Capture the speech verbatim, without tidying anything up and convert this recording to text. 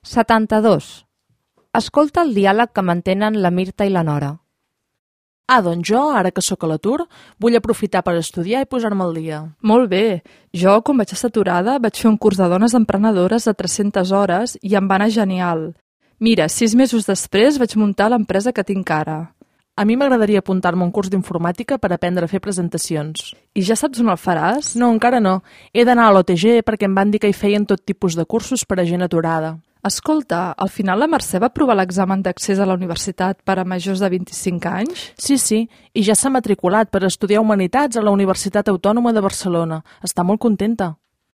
setanta-dos. Escolta el diàleg que mantenen la Mirta i la Nora. Ah, doncs jo, ara que sóc a l'atur, vull aprofitar per estudiar i posar-me al dia. Molt bé. Jo, quan vaig estar aturada, vaig fer un curs de dones emprenedores de tres-centes hores i em va anar genial. Mira, sis mesos després vaig muntar l'empresa que tinc ara. A mi m'agradaria apuntar-me a un curs d'informàtica per aprendre a fer presentacions. I ja saps on el faràs? No, encara no. He d'anar a l'O T G perquè em van dir que hi feien tot tipus de cursos per a gent aturada. Escolta, al final la Mercè va aprovar l'examen d'accés a la universitat per a majors de vint-i-cinc anys? Sí, sí, i ja s'ha matriculat per estudiar Humanitats a la Universitat Autònoma de Barcelona. Està molt contenta.